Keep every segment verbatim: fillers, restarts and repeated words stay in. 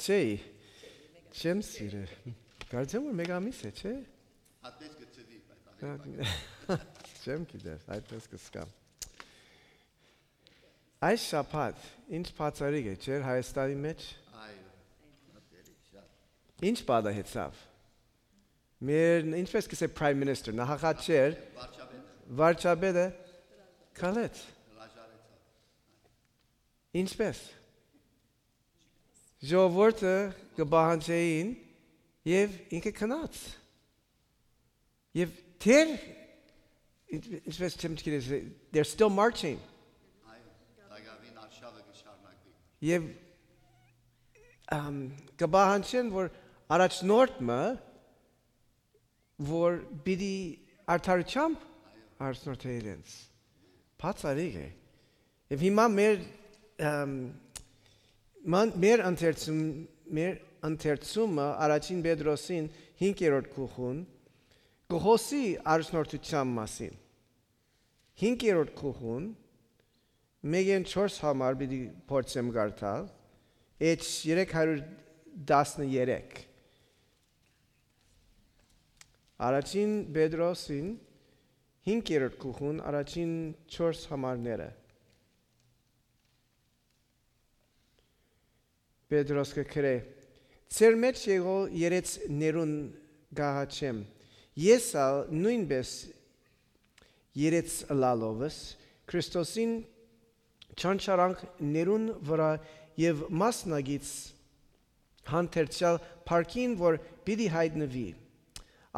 Չէի, չեմ սիրը։ Կարծեմ որ մեկ ամիս է, չէ՞։ Հատես կը ծծի, բայց ավելի Հա, պակաս։ Չեմ գիտեր, այդպես կսկամ։ Այս շաբաթ ինչ բացառիկ է, չէ՞, Հայաստանի մեջ։ Այո, շատ։ Ինչ պատահեցավ։ Մեր, ինչպես կսե Prime Minister, նախագահ չէր, Վարչապետը։ Վարչապետը քալեց։ Հրաժարեցավ։ Ինչպես։ Ժողովուրդը կը պահանջէին եւ ինքը գնաց։ Եւ դեռ, ինչպես չեմ գիտես, they're still marching։ Այո, տակավին արշաւը կը շարունակվի։ Եւ, ամ, կը պահանջեն, որ առաջնորդ մը, որ պիտի արդարութեամբ առաջնորդէ իրենց։ Բացառիկ է։ Եվ հիմա մեր, ամ, ման-, մեր ընթերցում-, մեր ընթերցումը առաջին Պետրոսին հինգերորդ գլխուն կը խօսի առաջնորդութեան մասին։ Հինգերորդ գլխուն, մէկէն չորս համար պիտի փորձեմ կարդալ, H երեք հարյուր տասներեք։ Առաջին Պետրոսին հինգերորդ գլխուն առաջին չորս համարները։ Պետրոս կը գրէ. «Ձեր մեջ եղող երեցներուն կ'աղաչեմ։ Ես ալ նոյնպէս երեց ըլալովս Քրիստոսին չանչարանքներուն վրայ եւ մասնակից հանդերձեալ փառքին, որ պիտի յայտնուի։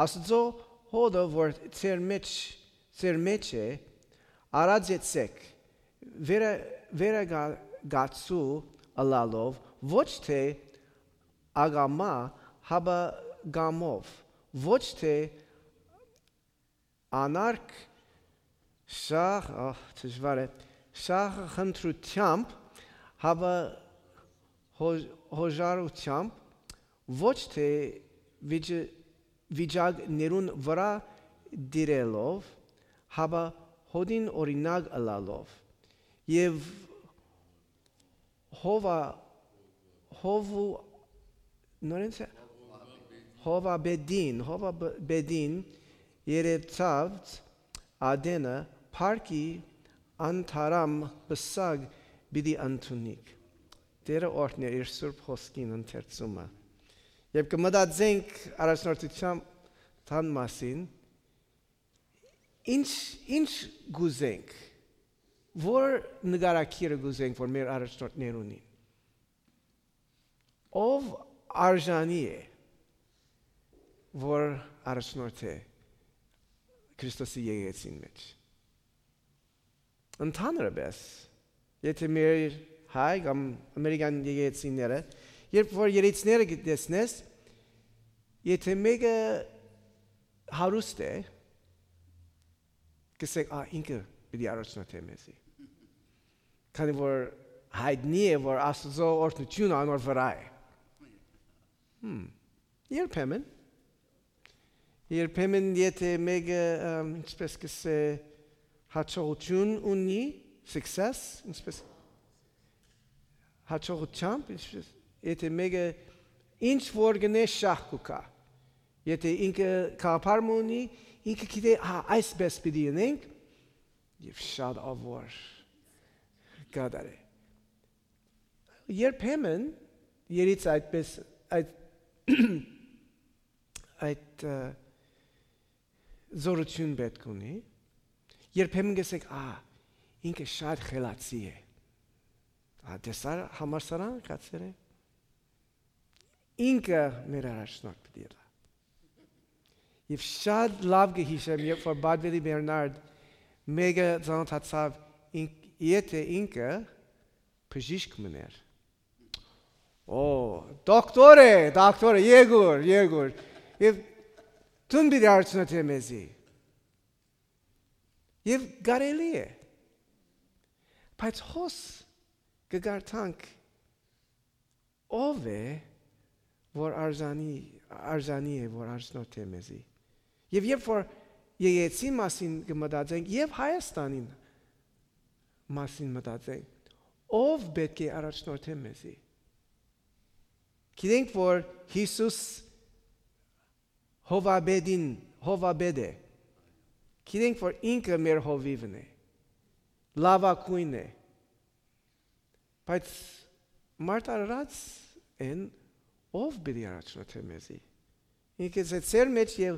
Աստուծոյ հօտը, որ ձեր մեջ, ձեր մեջ է, արածեցէք, վերա-, վերակացու ըլալով, ոչ թէ ակամայ, հապա կամով, ոչ թէ անարգ շահ-, ահ, դժուար է, շահ խնդրութեամբ, հապա հո-, հոժարութեամբ, ոչ թէ վիճ-, վիճակներուն վրայ դիրելով, հապա հօտին օրինակ ըլալով, եւ հովա-, հովու-, նորեն սա-, հովաբեդին, հովաբեդին երեցաց ատենը փառքի անթարամ պսակ պիտի ընդունիք»։ Տէրը օրհնէ իր սուրբ խօսքին ընթերցումը։ Երբ կը մտածենք առաջնորդութեան մասին, ինչ, ինչ կ'ուզենք, որ նկարագիրը կ'ուզենք, որ մեր առաջնորդներ ունին։ Ով արժանի է, որ առաջնորդէ Քրիստոսի եկեղեցին մեջ։ Ընդհանրապես, եթէ մեր հայ կամ ամերիկյան եկեղեցիները, երբ որ երեցները կը տեսնես, եթէ մէկը հարուստ է, կ'ըսենք, «Ա, ինքը պիտի առաջնորդէ մեզի»։ Քանի որ յայտնի է, որ Աստուծոյ օրհնութիւնը անոր վրայ է։ Հմ, երբեմն, երբեմն եթէ մէկը, ըմ, ինչպես կ'ըսե, յաջողութիւն ունի, success, ինչպես, յաջողութեամբ, ինչպես, եթէ մէկը ինչ որ գնէ շահ կու գայ։ Եթէ ինքը գաղափար մը ունի, ինքը գիտէ, «Հա, այսպես պիտի ընենք», եւ շատ ավոր կատարէ։ Երբեմն երից այդպես, այդ, այդ, ը, զորութիւն պէտք ունի, երբեմն կ'ըսենք, «Ա, ինքը շատ խելացի է»։ Ա, տեսա՞ր համալսարան գացեր է։ Ինքը մեր առաջնորդ պիտի ըլլայ։ Եվ շատ լաւ կը յիշեմ, երբ որ Պատվելի Բերնարդ մէկը ծանոթացաւ, ինք-, եթէ ինքը բժիշկ մըն էր։ Օ, դոկտոր է, դոկտոր է, եկուր, եկուր։ Եւ դուն պիտի առաջնորդէ մեզի։ Եւ կարելի է։ Բայց հոս կը կարդանք, ով է, որ արժանի, արժանի է, որ առաջնորդէ մեզի։ Եւ երբ որ եկեղեցին մասին կը մտածենք, եւ Հայաստանին մասին մտածենք, ով պէտք է առաջնորդէ մեզի։ Գիտենք որ Յիսուս հովապետին, հովապետ է։ Գիտենք որ ինքը մեր հովիվն է, լաւագոյնն է։ Բայց մարդ արարած են, ով պիտի առաջնորդէ մեզի։ Ինքը ըսեց, «Ձեր մէջ ե-,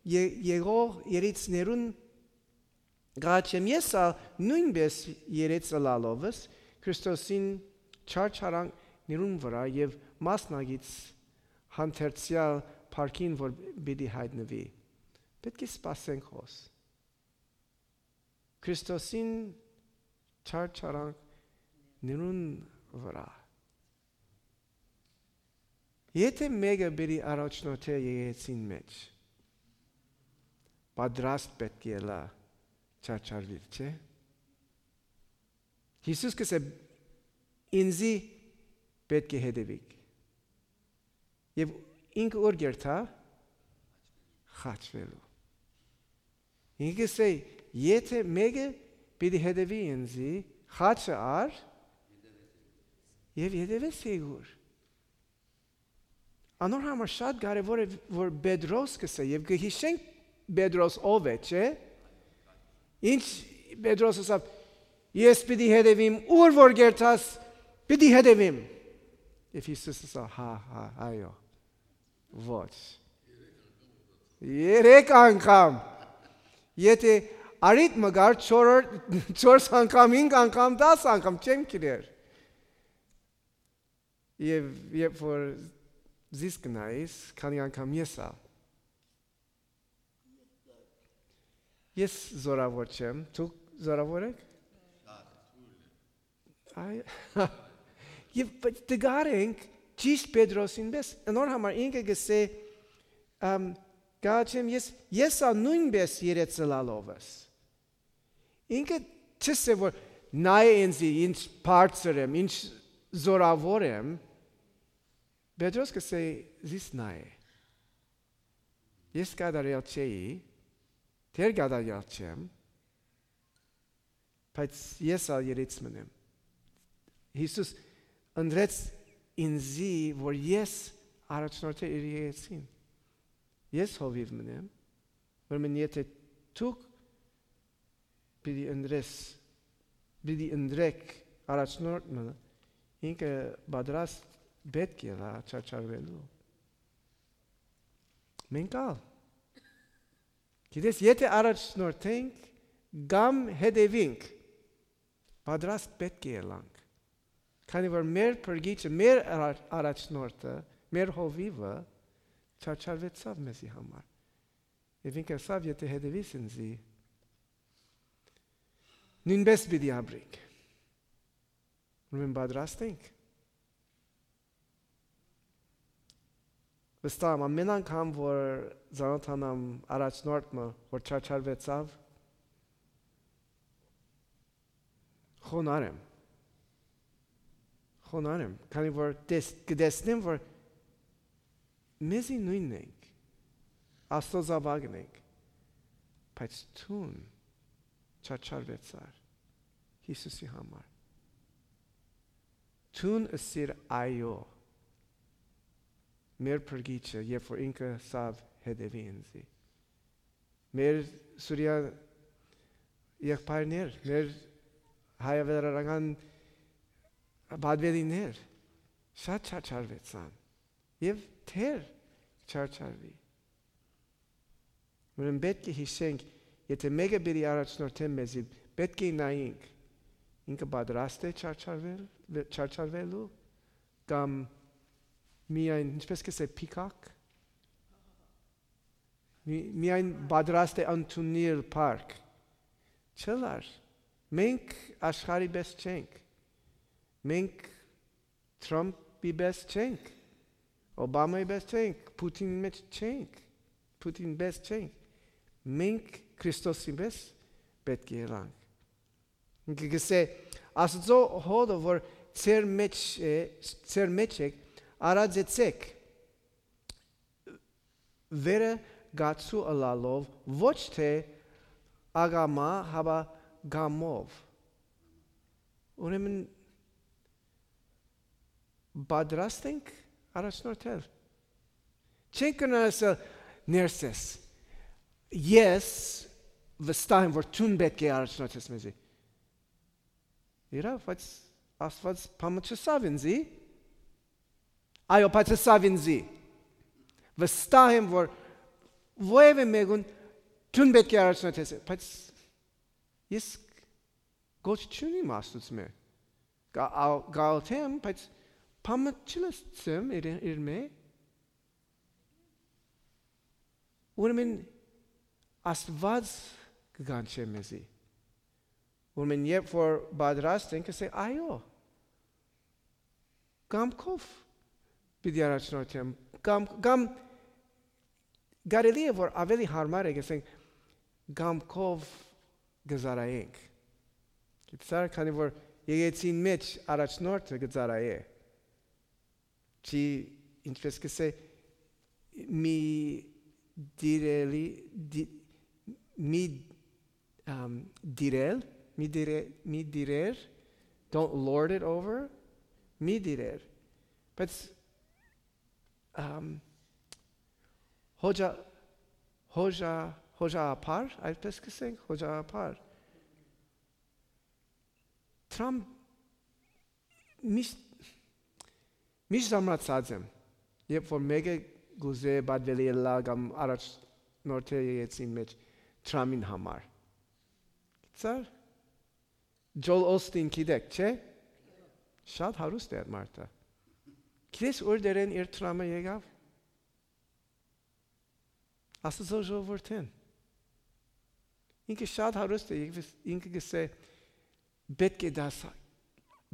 ե-, եղող երիցներուն կ'աղաչեմ, ես ալ նոյնպէս երեց ըլալովս Քրիստոսին չարչարանքներուն վրայ եւ մասնակից հանդերձեալ փառքին, որ պիտի յայտնուի»։ Պէտք է սպասենք հոս Քրիստոսին չարչարանքներուն վրայ։ Եթէ մէկը պիտի առաջնորդէ եկեղեցին մէջ, պատրաստ պէտք է ըլլայ չարչարուիլ, չէ՞։ Յիսուս կ'ըսէ, «Ինծի պէտք է հետեւիք»։ Եւ ինքը ո՞ւր կ'երթայ, խաչուելու։ Ինքը կ'ըսէ, «Եթէ մէկը պիտի հետեւի ինծի, խաչը առ եւ հետեւէ զի»։ Անոր համար շատ կարեւոր է, որ Պետրոս կ'ըսէ, եւ կը յիշենք Պետրոս ով է, չէ՞։ Ինչ Պետրոս ըսաւ, «Ես պիտի հետեւիմ, ուր որ կ'երթաս, պիտի հետեւիմ»։ Եւ Յիսուս ըսաւ, «Հա, հա, այո, ոչ։ Երեք անգամ։ Եթէ առիթ մը գար, չոր-, չորս անգամ, հինգ անգամ, տաս անգամ, չեմ գիտեր»։ Եւ երբ որ զիս կնայիս, քանի անգամ ես ալ։ Ես զորաւոր չեմ, դուք զորաւոր եք։ Այ, եւ բայց դգար ենք ճիշտ Պետրոսին պես, անոր համար ինքը կ'ըսէ, ամ, «Կ'աղաչեմ ես, ես ալ նոյնպէս երեց ըլալովս»։ Ինքը չ'ըսէ որ նայէ ինծի, ինչ բարձր եմ, ինչ զորաւոր եմ, Պետրոս կ'ըսէ, «Զիս նայէ։ Ես կատարեալ չէի, դեռ կատարեալ չեմ, բայց ես ալ երեց մըն եմ»։ Յիսուս ընտրեց ինծի, որ ես առաջնորդէ իր եկեղեցին։ Ես հովիվ մըն եմ, ուրեմն եթէ դուք պիտի ընտրես, պիտի ընտրեք առաջնորդ մը, ինքը պատրաստ պէտք է ըլլայ չարչարուելու։ Մենք ալ, գիտես, եթէ առաջնորդենք կամ հետևինք, պատրաստ պէտք է ըլլանք, քանի որ մեր փրկիչը, մեր արա-, առաջնորդը, մեր հովիվը չարչարուեցաւ մեզի համար։ Եւ ինքը ըսաւ, «Եթէ հետևիս ինծի, նոյնպէս պիտի ապրինք»։ Ուրեմն պատրաստ ենք։ Վստահ եմ, ամէն անգամ որ ծանօթանամ առաջնորդ մը, որ չարչարուեցաւ, խոնար եմ։ Խոնար եմ, քանի որ տես-, կտեսնեմ, որ մեզի նոյնն ենք, Աստուծոյ զաւակն ենք, բայց դուն չարչարուեցար Յիսուսի համար։ Դուն ըսիր այո մեր փրկիչը, երբ որ ինքը ըսաւ, «Հետևի ինծի»։ Մեր Սուրիա եղբայրներ, մեր հայավերական պատվերիններ շատ չարչարուեցան եւ դեռ չարչարուի։ Ուրեմն պէտք է յիշենք, եթէ մէկը պիտի առաջնորդէ մեզի, պէտք է նայենք, ինքը պատրաստ է չարչարվել, վե-, չարչարվելու, կամ միայն, ինչպես կ'ըսէ, փիքակ, մի-, միայն պատրաստ է ընդունիլ փառք։ Չլար, մենք աշխարհի պես չենք, մենք Թրամփի պես չենք, Օբամայի պես չենք, Պութինի մեջ չենք, Պութին պես չենք, մենք Քրիստոսի պես պէտք է ըլլանք։ Ինքը կ'ըսէ, «Աստուծոյ հօտը որ ձեր մեջ է, ձեր մեջ է, արածեցէք, վերը կացու ըլալով, ոչ թէ ակամայ, հապա կամով»։ Ուրեմն պատրաստ ենք առաջնորդել։ Չենք կրնար ասել, ներսես, ես վստահ եմ որ դուն պէտք է առաջնորդես մեզի։ Իրաւ, բայց Աստուած բան մը չըսաւ ինձի։ Այո, բայց ըսաւ ինձի։ Վստահ եմ որ որևէ մեկուն դուն պէտք է առաջնորդես, բայց ես կոչ չունիմ Աստուծմէ։ Կա-, ա-, կ'աղոթեմ, բայց բան մը չլսեմ իր, իրմէ։ Ուրեմն Աստուած կը կանչէ մեզի։ Ուրեմն երբ որ պատրաստ ենք, կ'ըսենք, այո, կամքով պիտի առաջնորդեմ, կամ, կամ կարելի է որ ավելի հարմար է, կ'ըսենք, կամքով կը ծառայենք։ Գիտցա՞ր, քանի որ եկեցին մէջ առաջնորդը կը ծառայէ։ Չի, ինչպես կ'ըսէ, մի դիրելի, դի-, մի, ամ, դիրել, մի դիրե-, մի դիրեր, don't lord it over, մի դիրեր։ Բայց, ամ, հոջա-, հոջա-, հոջաաբար, այսպես կ'ըսենք, հոջաաբար։ Թրամփ միշտ, միշտ զարմացած եմ, երբ որ մէկը կ'ուզէ պատուելի ըլլայ կամ առաջնորդել եկեցին մէջ Թրամփին համար։ Գիտցա՞ր, Ջոլ Օսթին գիտեք, չէ՞։ Շատ հարուստ է այդ մարդը։ Գիտես ո՞ր դերեն իր Թրամփը եկաւ։ Աստուծոյ ժողովուրդին։ Ինքը շատ հարուստ է, ինքը, ինքը կ'ըսէ, «Պէտք է դաս,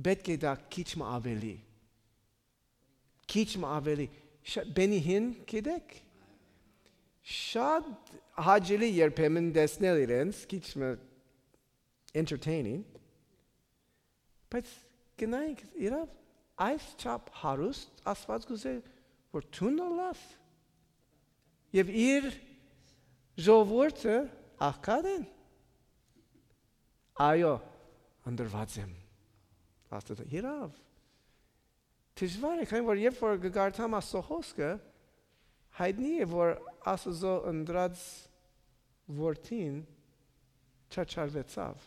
պէտք է դա քիչ մը ավելի, քիչ մը ավելի»։ Շա-, Բենի Հին գիտեք, շատ հաճելի երբեմն տեսնել իրենց, քիչ մը entertaining, բայց գնայինք իրաւ այս չափ հարուստ Աստուած կ'ուզէ որ դուն ըլլաս, եւ իր ժողովուրդը աղքատ են։ Այո, ընտրուած եմ, Աստուած, իրաւ։ Դժուար է, քանի որ երբ որ կը կարդամ Աստուծոյ խօսքը, յայտնի է որ Աստուծոյ ընտրած որդին չարչարուեցաւ։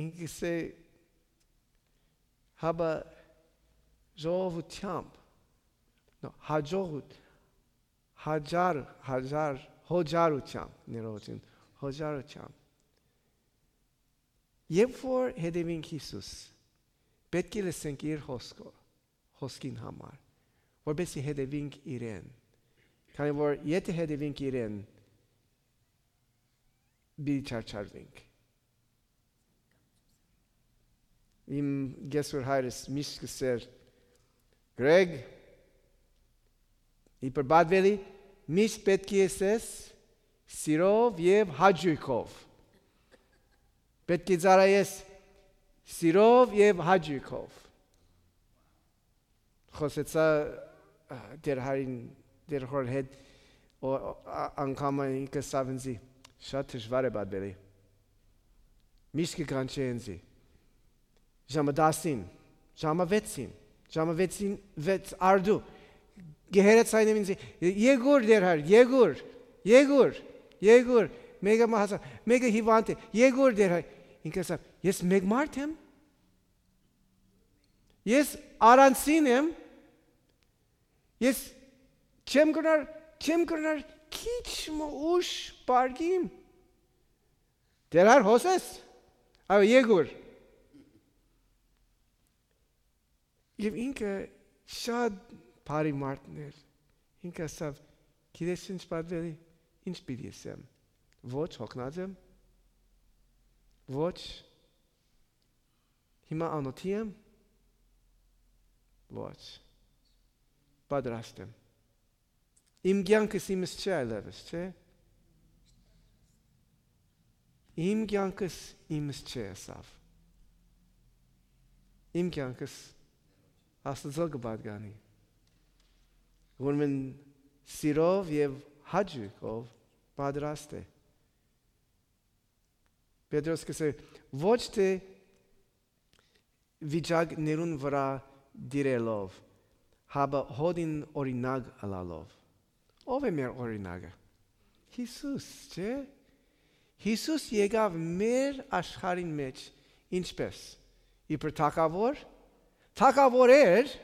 Ինքը կ'ըսէ, հապա ժողովութեամբ, նո, հաջողութ-, հաջար-, հաջար-, հոջարութեամբ, ներողություն, հոջարութեամբ։ Երբ որ հետեւինք Յիսուս, պէտք է լսենք իր խօսքը, խօսքին համար, որպեսզի հետեւինք իրեն, քանի որ եթէ հետեւինք իրեն, պիտի չարչարվենք։ Իմ կեսուր հայրս միշտ կ'ըսէր, «Գրեգ, իբր պատուելի, միշտ պէտք է ըսես սիրով եւ հաճոյքով։ Պէտք է ծառայես սիրով եւ հաճոյքով»։ Խօսեցայ, ա, Տէր Հայրին, Տէր Հօրին հետ, ո-, ա, անգամը ինքը ըսաւ ինձի, «Շատ դժուար է պատուելի։ Միշտ կը կանչէ ինձի։ Ժամը տասին, ժամը վեցին, ժամը վեցին, վեց արդու, կը հեռացայնեմ ինձի, ե-, եկուր, Տէր Հայր, եկուր, եկուր, եկուր, մեկը մահացան, մեկը հիվանդ է, եկուր, Տէր Հայր»։ Ինքը ըսաւ, «Ես մէկ մարդ եմ, ես առանձին եմ, ես չեմ կրնար, չեմ կրնար քիչ մը ուշ պարկիմ։ Տէր Հայր, հոսես, այո, եկուր»։ Եւ ինքը շատ բարի մարդն էր։ Ինքը ասաւ, «Գիտես ինչ, պատուելի, ինչ պիտի ըսեմ։ Ոչ, հոգնած եմ։ Ոչ, հիմա անօթի եմ։ Ոչ, պատրաստ եմ։ Իմ կեանքս իմս չէ այլեւս, չէ։ Իմ կեանքս իմս չէ», ըսաւ։ Իմ կեանքս Աստուծոյ կը պատկանի, որ մեն սիրով եւ հաճոյքով պատրաստ է։ Պետրոս կ'ըսէ, «Ոչ թէ վիճակներուն վրայ տիրելով, հապա հօտին օրինակ ըլալով։ Ո՞վ է մեր օրինակը։ Յիսուս, չէ՞։ Յիսուս եկաւ մեր աշխարհին մէջ ինչպէս։ Իբր թագաւոր, թագաւոր էր,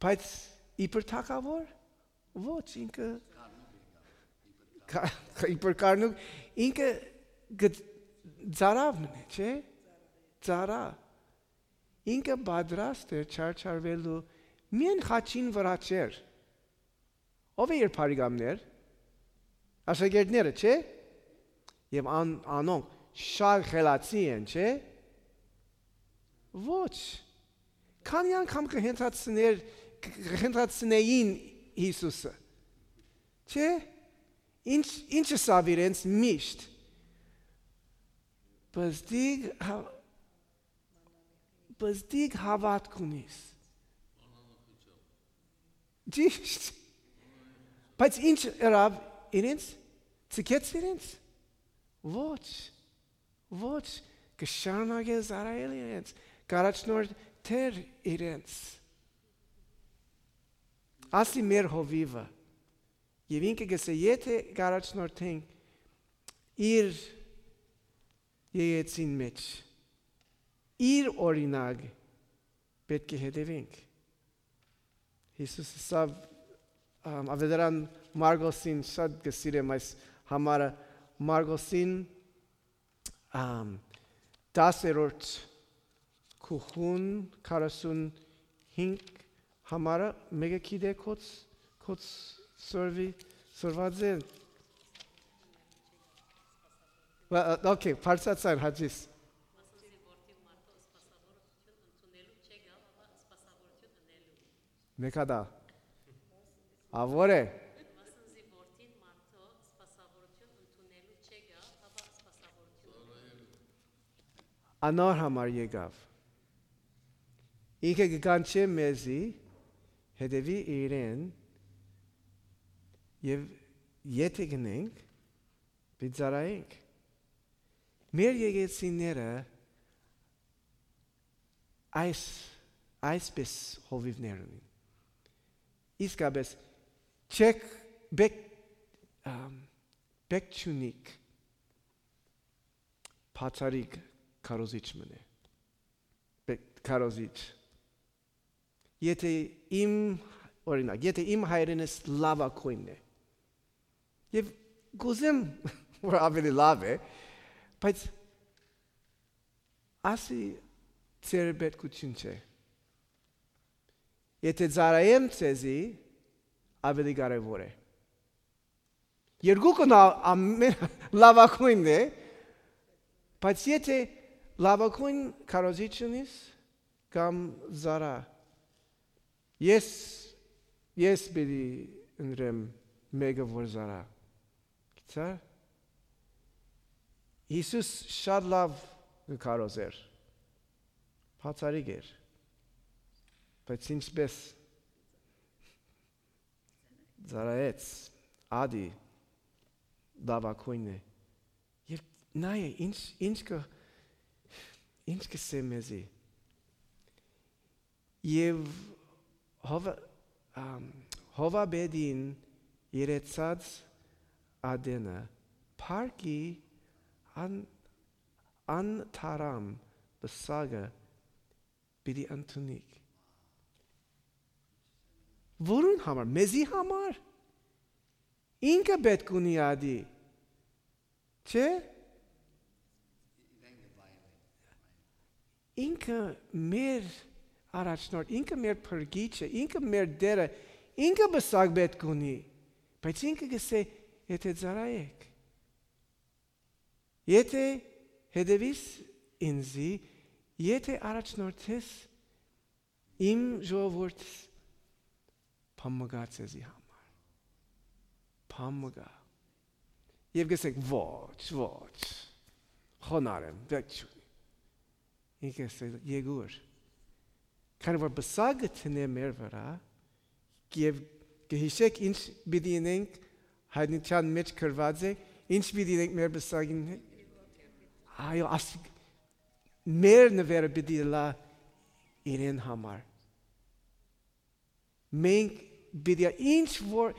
բայց իբր թագաւոր, ոչ, ինքը կա-, իբր կարնուկ, ինքը գ-, ծառայ մնաց, չէ՞։ Ծառայ։ Ինքը պատրաստ էր չարչարուելու միայն խաչին վրայ չէր։ Ո՞վ է իր բարեկամներ։ Աշակերտները, չէ՞։ Եւ ան-, անոնք շատ խելացի են, չէ՞։ Ոչ։ Քանի՞ անգամ կհենդացներ-, կհենդացնէին Յիսուսը, չէ՞։ Ինչ, ինչ ըսաւ իրենց միշտ։ Պզտիկ հա-, պզտիկ հաւատք ունիս։ Ճիշդ։ Բայց ինչ ըրաւ իրենց, ցկեց իրենց։ Ոչ, ոչ, կը շարունակէ ծառայել իրենց, կ'առաջնորդէր իրենց։ Ասի մեր հովիվը։ Եւ ինքը կ'ըսէ, եթէ կ'առաջնորդենք իր եկեցին մէջ, իր օրինակ պէտք է հետեւենք։ Յիսուս ըսաւ, ամ, ավետարան Մարկոսին, շատ կը սիրեմ այս համարը, Մարկոսին, ամ, տասերորդ գլխուն, քառասունհինգ համարը, մեկը գիտէ, կոց, կոց սորվի, սորված է։ Ա, ա, օքեյ, բարձրացան, Հաճիս։ Մեկա դա։ Ա, ո՞ր է։ Անոր համար եկաւ։ Ինքը կը կանչէ մեզի, հետեւի իրեն, եւ եթէ գնենք, պիտի ծառայենք։ Մեր եկեցիները այս, այսպես հովիվներ ունին։ Իսկապես, չեք, բեք, ամ, բեք չունիք, բացառիկ քարոզիչ մնե։ Բեք քարոզիչ։ Եթէ իմ, օրինակ, եթէ իմ հայրենս լաւագոյնն է, եւ կ'ուզեմ, որ աւելի լաւ է, բայց ասի ձեր պետքութիւն չէ։ Եթէ ծառայեմ ձեզի, աւելի կարեւոր է։ Երկուքն ա-, ամեն լաւագոյնն է, բայց եթէ լաւագոյն քարոզիչ ունիս կամ ծառայ, ես, ես պիտի ընտրեմ մեկը, որ ծառայ։ Գիտա՞ր, Յիսուս շատ լաւ կը քարոզէր, բացառիկ էր, բայց ինչպես ծառայեց, ադի լաւագոյնն է։ Եւ նայ, ինչ, ինչ կը, ինչ կ'ըսէ մեզի։ Եւ հովա-, ամ, հովապետին երեցած ատենը, փառքի ան-, անթարամ պսակը պիտի ընդունիք։ Որուն համար, մեզի համար։ Ինքը պէտք ունի ադի, չէ՞։ Ինքը մեր առաջնորդ, ինքը մեր փրկիչը, ինքը մեր Տերը, ինքը պսակ պէտք ունի, բայց ինքը կ'ըսէ, եթէ ծառայեք, եթէ հետեւիս ինզի, եթէ առաջնորդես իմ ժողովուրդս, բան մը կայ ձեզի համար։ Բան մը կայ։ Եւ կ'ըսեք, ոչ, ոչ, խոնարհ եմ, պէտք չունի։ Ինքը կ'ըսէ, եկուր։ Քանի որ պսակը դնէ մեր վրայ, եւ կը յիշեք ինչ պիտի ընենք, հայտնութեան մէջ գրուած է, ինչ պիտի ընենք մեր պսակին հետ։ Այո, ասիկ, մեր նուէրը պիտի ըլլայ իրեն համար։ Մենք պիտի, ինչ որ,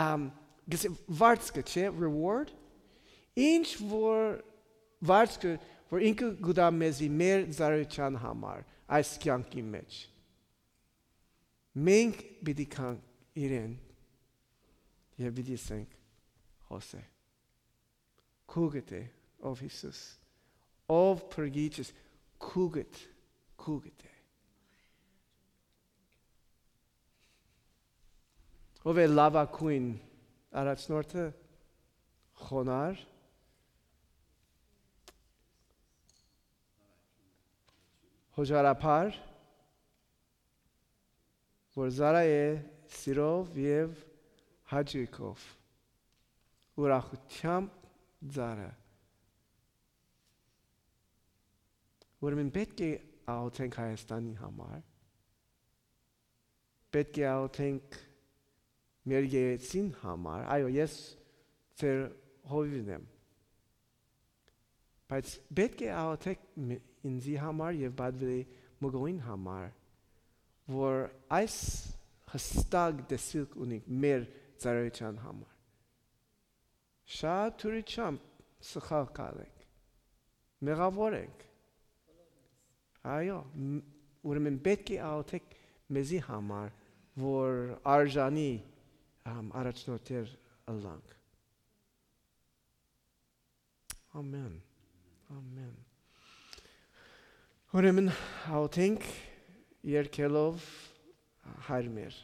ամ, գսե, վարձքը, չէ, reward, ինչ որ վարձքը, որ ինքը կու տայ մեզի մեր ծառայութեան համար այս կեանքի մէջ, մենք պիտի գանք իրեն եւ պիտի ասենք. «Հոսե, քուկդ է, ով Յիսուս, ով Փրկիչս, քուկդ, քուկդ է»։ Ով է լաւագոյն առաջնորդը, խոնար, հոժարաբար, որ ծառայ է սիրով եւ հաճոյքով, ուրախութեամբ ծառայ։ Ուրեմն պէտք է աղօթենք Հայաստանի համար, պէտք է աղօթենք մեր եկեղեցին համար, այո, ես ձեր հովիվն եմ, բայց պէտք է աղօթեք մը-, ինձի համար եւ պատվելի մկոյին համար, որ այս հստակ տեսիլք ունենք մեր ծառայութեան համար։ Շատ դուրիչամբ սխալ կ'ալենք, մեղաւոր ենք։ Այո, մ-, ուրեմն պէտք է աղօթեք մեզի համար, որ արժանի, ամ, առաջնորդներ ըլլանք։ Ամեն։ Ամեն։ Ուրեմն աղօթենք երկելով Հայր մեր։